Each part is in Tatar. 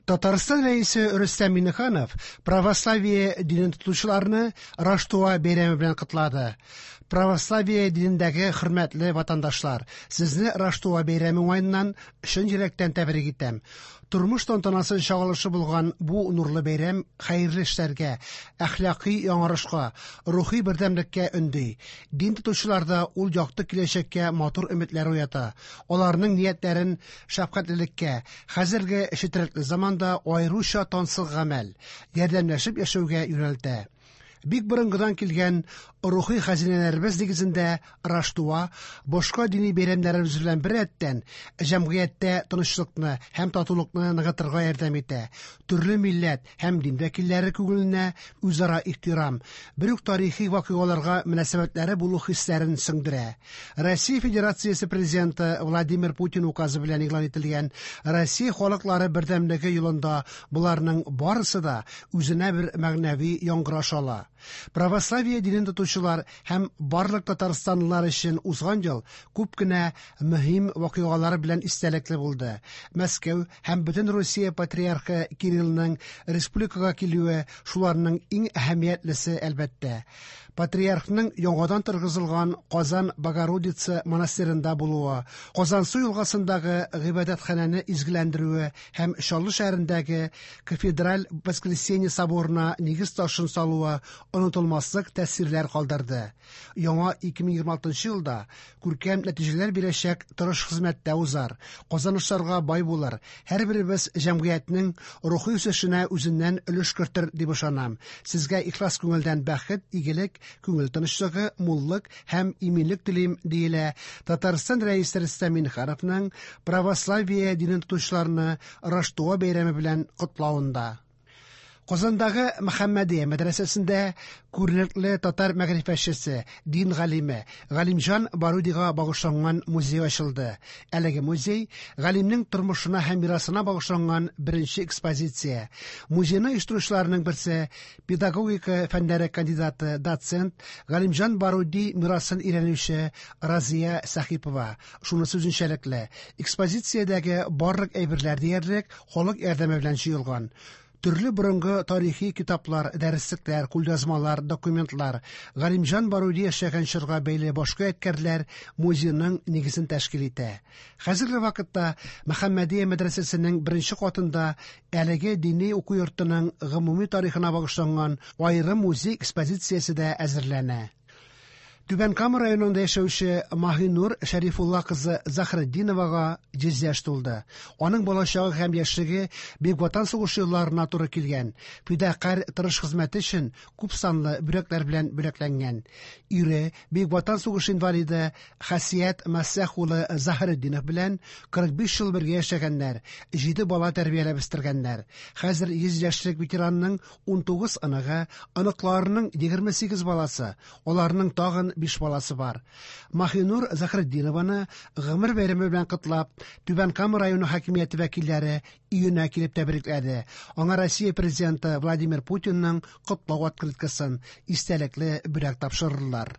Татарстан Рәисе Рөстәм Миңнеханов православие динен тотучыларны Раштуа бәйрәме белән котлады. Православие динендәге хөрмәтле ватандашлар, сезне Раштуа бәйрәме уңаеннан чын йөрәктән тәбрик итәм. Тормыш тантанасы чагылышы булган бу нурлы бәйрәм хәерле эшләргә, әхлакый яңарышка, рухи бердәмлеккә өнди. Дин тотучыларда ул якты киләчәккә матур өметләр уята. Аларның ниятләрен шәфкатьлелеккә, хәзерге четерекле заманда аеруча тансык гамәл, ярдәмләшеп яшәүгә юнәлтә. Бик борынгыдан килгән рухи хәзинәләребез нигезендә Раштуа, башка дини бәйрәмнәребез белән беррәттән, җәмгыятьтә тынычлыкны һәм татулыкны ныгытырга ярдәм итә, төрле милләт һәм дин вәкилләре күңеленә үзара ихтирам, бер үк тарихи вакыйгаларга мөнәсәбәтләре булу хисләрен сеңдерә. Россия Федерациясе Президенты Владимир Путин указы белән игълан ителгән Россия халыклары бердәмлеге елында боларның барысы да үзенә бер мәгънәви яңгыраш ала. Православие динен тотучылар һәм барлык татарстанлылар өчен узган ел күп кенә мөһим вакыйгалар белән истәлекле булды. Мәскәү һәм бөтен Русия патриархы Кириллның республикага килүе шуларның иң әһәмиятлесе, әлбәттә. Патриархның яңадан торгызылган Казан Богородица монастыренда булуы, Казансу елгасындагы гыйбадәтханәне изгеләндерүе һәм Чаллы шәһәрендәге кафедраль Воскресенье соборына нигез ташын салуы онытылмаслык тәэсирләр калдырды. Яңа 2026 елда күркәм нәтиҗәләр бирәчәк тырыш хезмәттә узар, казанышларга бай булыр, һәрберебез җәмгыятьнең рухи үсешенә үзеннән өлеш кертер дип ышанам. Сезгә ихлас күңелдән бәхет, игелек, күңел тынычлыгы, муллык һәм иминлек телим, диелә Татарстан Рәисе Рөстәм Миңнехановның православие динен тотучыларны Раштуа бәйрәме белән котлавында. Казандагы Мөхәммәдия мәдрәсәсендә күренекле татар мәгърифәтчесе, дин галиме Галимҗан Барудига багышланган музей ачылды. Әлеге музей галимнең тормышына һәм мирасына багышланган беренче экспозиция. Музейны оештыручыларның берсе педагогика фәннәре кандидаты, доцент, Галимҗан Баруди мирасын өйрәнүче Разия Сәхипова. Шунысы үзенчәлекле, экспозициядәге барлык әйберләр диярлек халык ярдәме белән җыелган. Төрле борынгы тарихи китаплар, дәреслекләр, кулъязмалар, документлар, Галимҗан Баруди яшәгән чорга бәйле башка ядкәрләр музейның нигезен тәшкил итә. Хәзерге вакытта Мөхәммәдия мәдрәсәсенең беренче катында әлеге дини уку йортының гомуми тарихына багышланган аерым музей экспозициясе дә әзерләнә. Түбән Кама районында яшәүче Маһинур Шәрифулла кызы Заһретдиновага 100 яшь тулды. Аның балачагы һәм яшьлеге Бөек Ватан сугышы елларына туры килгән. Фидакарь тырыш хезмәте өчен күп санлы бүләкләр белән бүләкләнгән. Ире Бөек Ватан сугышы инвалиды Хасият Мәсәх улы Заһретдинов белән 45 ел бергә яшәгәннәр, 7 бала тәрбияләп үстергәннәр. Хәзер 100 яшьлек ветеранның 19 оныгы, оныкларының 28 баласы, аларның тагын 5 баласы бар. Маһинур Заһретдинованы гомер бәйрәме белән котлап, Түбән Кама районы хакимияте вәкилләре өенә килеп тәбрикләде. Аңа Россия президенты Владимир Путинның котлау открыткасын, истәлекле бүләк тапшырдылар.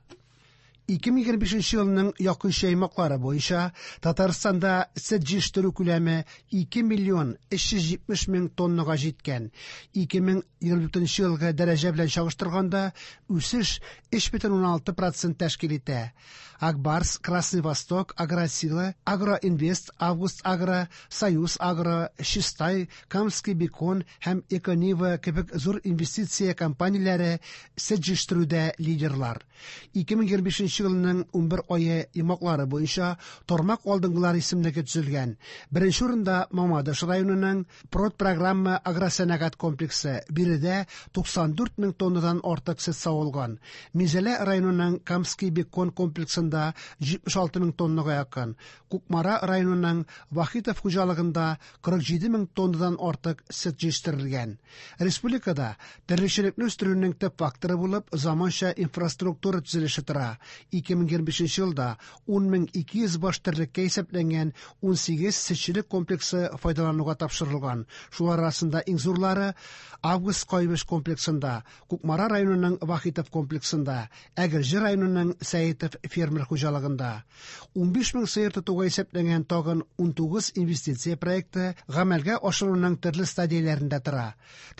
2025 елның якынча аймаклары буенча Татарстанда сөт җитештерү күләме 2 миллион 370 мең тоннага җиткән. 2024 елгы дәрәҗә белән чагыштырганда үсеш 3,6% тәшкил итә. Акбарс, Красный Восток, Агросила, Агроинвест, Август Агро, Союз Агро, Чистай, Камский Бекон һәм Эконива кебек зур инвестиция компанияләре сөт җитештерүдә лидерлар. 2025 елның 11 ае йомгаклары буенча тармак алдынгылар исемлеге төзелгән. Беренче урында Мамадыш районының Продпрограмма агросәнәгать комплексы. Биредә 94 мең тоннадан артык сөт савылган. Минзәлә районының Камский Бекон комплексында 76 мең тоннага якын. Кукмара районының Вахитов хуҗалыгында 47 мең тоннадан артык сөт җитештерелгән. Республикада терлекчелекне үстерүнең төп факторы булып заманча инфраструктура төзелеше тора. 2025 елда 10 200 баш терлеккә исәпләнгән 18 сөтчелек комплексы файдалануга тапшырылган. Шулар арасында иң зурлары Август Кайбыч комплексында, Кукмара районының Вахитов комплексында, Әгерҗе районының Сәетов фермер хуҗалыгында. 15 мең сыер тотуга исәпләнгән тагын 19 инвестиция проекты гамәлгә ашыруның төрле стадияләрендә тора.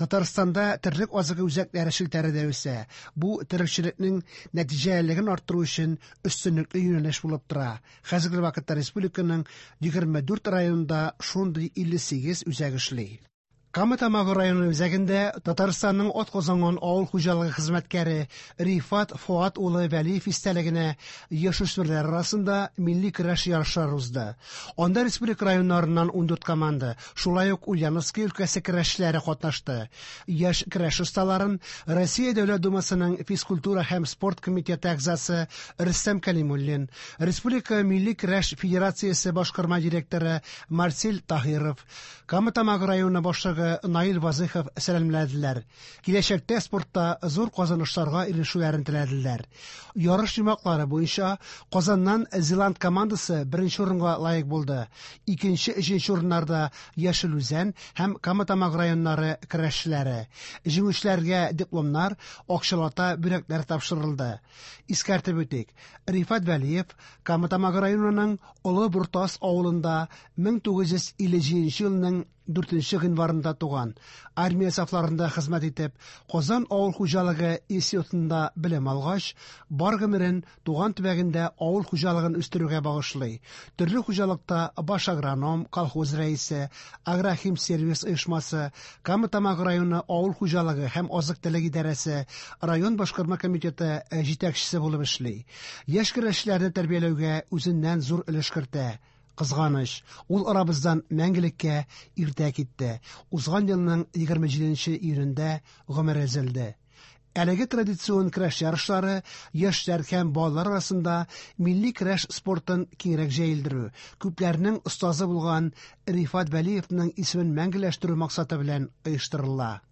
Татарстанда терлек азыгы үзәкләре челтәре дә үсә. Бу терлекчелекнең нәтиҗәлелеген арттыру өчен өстенлекле юнәлеш булып тора. Хәзерге вакытта республиканың 24 районында шундый 58 үзәк эшли. Кама Тамагы районы үзәгендә Татарстанның атказанган авыл хуҗалыгы хезмәткәре Рифат Фоат улы Вәлиев истәлегенә яшүсмерләр арасында милли көрәш ярышлары узды. Анда республика районнарыннан 14 команда, шулай ук Ульяновский өлкәсе көрәшчеләре катнашты. Яшь көрәш осталарын Россия Дәүләт Думасының физкультура һәм спорт комитеты әгъзасы Рөстәм Кәлимуллин, Республика милли көрәш федерациясе башкарма директоры Марсель Таһиров, Кама Тамагы районы башлыгы Наил Вазыхов сәламләделәр. Киләчәктә спортта зур казанышларга ирешүләрен теләделәр. Ярыш йомгаклары буенча Казаннан Зеланд командасы беренче урынга лаек булды. Икенче, өченче урыннарда Яшел Үзән һәм Кама Тамагы районнары көрәшчеләре. Җиңүчеләргә дипломнар, акчалата бүләкләр тапшырылды. Искәртеп үтик, Рифат Вәлиев Кама Тамагы районының Олы Бортас авылында 1957 елның 4 гыйнварында туган. Армия сафларында хезмәт итеп, Казан авыл хуҗалыгы институтында белем алгач, бар гомерен туган төбәгендә авыл хуҗалыгын үстерүгә багышлый. Төрле хуҗалыкта баш агроном, колхоз рәисе, Агрохимсервис оешмасы, Кама Тамагы районы авыл хуҗалыгы һәм азык-төлек идарәсе, район башкарма комитеты җитәкчесе булып эшли. Яшь көрәшчеләрне тәрбияләүгә үзеннән зур өлеш кертә. Кызганыч, ул арабыздан мәңгелеккә иртә китте. Узган елның 27 июнендә гомере өзелде. Әлеге традицион көрәш ярышлары яшьләр һәм балалар арасында милли көрәш спортын киңрәк җәелдерү, күпләрнең остазы булган Рифат Вәлиевның исемен мәңгеләштерү максаты белән оештырыла.